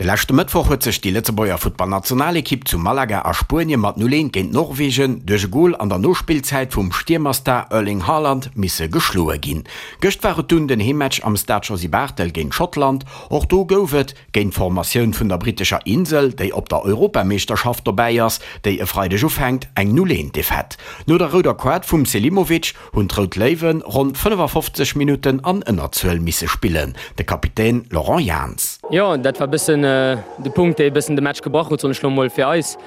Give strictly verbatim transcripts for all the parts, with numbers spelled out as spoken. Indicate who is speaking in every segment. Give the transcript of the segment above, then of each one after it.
Speaker 1: De leschte Mëttwoch huet sech déi Lëtzebuerger Futtballnationalekipp zu Malaga a Spuenie mat null eent géint Norwegen duerch e Gol an der Nospillzäit vum Stiermerstar Erling Haaland misse geschloe ginn. Gëscht war et dunn den Heemmatch am Stade Josy Barthel géint Schottland. Och do gouf et géint d'Formatioun vun der brittescher Insel, déi op der Europameeschterschaft dobäi ass, déi e Freideg ufänkt, eng null eent Defaite. No der rouder Kaart vum Selimovic hunn d'Rout Léiwe ronn fënnefafofzeg Minutten an Ënnerzuel misse spillen. De Kapitän Laurent Jans.
Speaker 2: Jo, dat war bëssen de Punkt, dee bëssen de Match gebrach huet, soen ech lo mol, fir eis.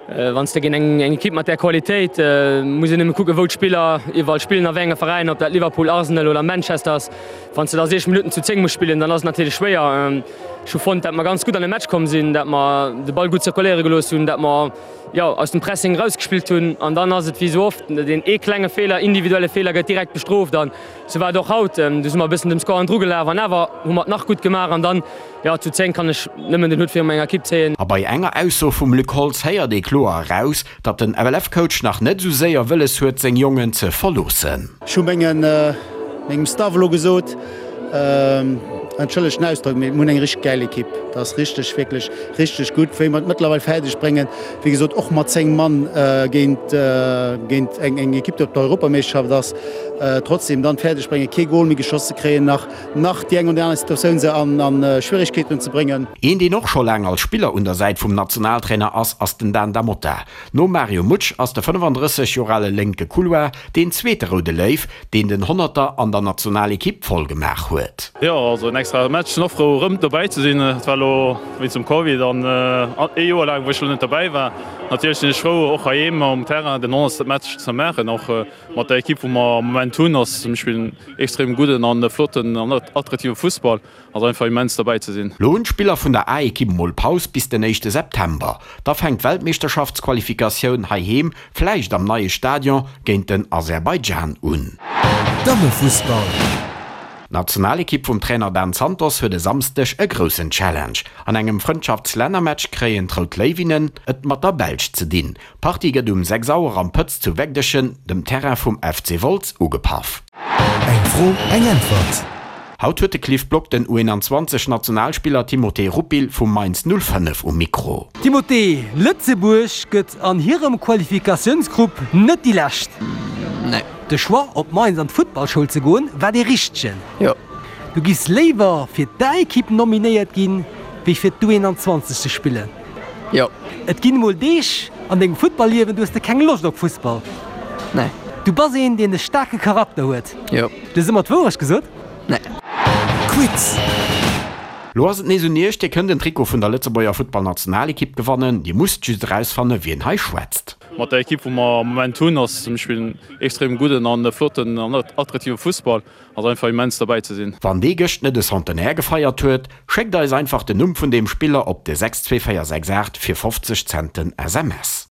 Speaker 2: Wann s de géint eng eng Ekipp mat där Qualitéit, muss een nëmme kucken, wou d'Spiller iwwerall spillen, a wéi enge Veräiner, ob dat Liverpool, Arsenal oder Manchester ass. Wann s de da siechzeg Minutten zu zéng muss spillen, dann ass et natierlech schwéier. Ech hu fonnt, dat mer ganz gutt an de Match komm sinn, dat mer de Ball gutt zirkuléiere gelooss hunn, dat mer, jo, aus dem Pressing erausgespillt hunn. An dann ass et wéi esou oft, deen ee klenge Feeler, individuelle Feeler gëtt direkt bestrooft. An esou war et och haut. Du si mer e bëssen dem Score hannendru gelaf an awer hu mer et nach gutt gemaach. An dann, jo, zu zéng kann ech nëmmen den Hutt viru menger Ekipp zéien.
Speaker 1: A bei enger Ausso vum Luc Holtz héiert ee kloer eraus, datt den F L F-Coach nach net esou séier wëlles huet, seng Jongen ze verloossen.
Speaker 3: Ech hu mengen, mengem Staff elo gesot, entschëllegt den Ausdrock, mee mir hunn eng richteg gäil Ekipp. Dat ass richteg, wierklech richteg gutt, wéi mer et mëttlerweil fäerdeg bréngen, wéi gesot, och mat zéng Mann géint, géint eng, eng Ekipp, déi op der Europameeschterschaft ass, trotzdem dann fäerdeg bréngen, kee Gol méi geschoss ze kréien, nach, nach déi eng oder aner Situatioun se an, an Schwierigkeeten ze bréngen.
Speaker 1: Een, deen och scho laang als Spiller un der Säit vum Nationaltrainer ass, ass den Dan Da Mota. Nom Mario Mutsch ass de fënnefandrësseg Joer ale lénke Couloir deen zweete Roude Léiw, deen den Honnerter an der Nationalekipp voll gemaach huet.
Speaker 4: Jo, also en extra Match. Sinn och frou erëm dobäi ze sinn. Et war elo wéinst dem Covid an ee Joer laang, wou ech elo net dobäi war. Natierlech sinn ech frou och heiheem um Terrain den honnertste Match ze maachen. Och mat der Ekipp, wou mer am Moment hunn, ass mir spillen extrem gudden an flotten an attraktive Fussball. Ass einfach immens dobäi ze sinn.
Speaker 1: Lo hunn d'Spiller vun der A-Ekipp mol Paus bis den éischte September. Da fänkt d'Weltmeeschterschaftsqualifikatioun heiheem, vläicht am neie Stadion, géint den Aserbaidschan un.
Speaker 5: Dammefussball.
Speaker 1: D'Nationalekipp vum Trainer Dan Santos huet e Samsdeg e groussen Challenge. An engem Frëndschaftslännermatch kréien d'Rout Léiwinnen et mat der Belsch ze dinn. D'Partie gëtt um sechs Auer am Pëtz zu Wegdechen, dem Terrain vum F C Wolz, ugepaff.
Speaker 5: Eng Fro, eng Äntwert.
Speaker 1: Haut huet de Cliff Block den U eenanzwanzeg Nationalspiller Timothée Rupil vu Mainz null fënnef um Mikro.
Speaker 6: Timothée, Lëtzebuerg gëtt an hirem Qualifikatiounsgrupp net déi Lescht.
Speaker 7: Nee.
Speaker 6: De Choix op Mainz an d'Futtballschoul ze goen, war dee richtegen?
Speaker 7: Jo.
Speaker 6: Du giss léiwer fir d'A-Ekipp nominéiert ginn, wéi fir d'U eenanzwanzeg ze spillen?
Speaker 7: Jo.
Speaker 6: Et ginn emol Deeg an dengem Futtballliewen, do hues de keng Loscht op Fussball?
Speaker 7: Nee.
Speaker 6: Du bass een, deen e staarke Charakter huet?
Speaker 7: Jo.
Speaker 6: Du hues ëmmer d'Wourecht gesot?
Speaker 7: Nee.
Speaker 5: Quiz.
Speaker 1: Lo ass et nees un iech, Dir kënnt en Trikot vun der Lëtzebuerger Futtballnationalekipp gewannen. Dir musst just erausfannen, wien hei schwätzt.
Speaker 4: Mat der Ekipp, wou mer am Moment hunn, ass mir spillen extrem gudden an flotten an attraktive Fussball. Ass einfach immens dobäi ze sinn.
Speaker 1: Wann dee gëscht net e Centenaire gefeiert huet, schéckt eis einfach den Numm vun deem Spiller op de sechs zwee véier sechs aacht fir fofzeg Centen S M S.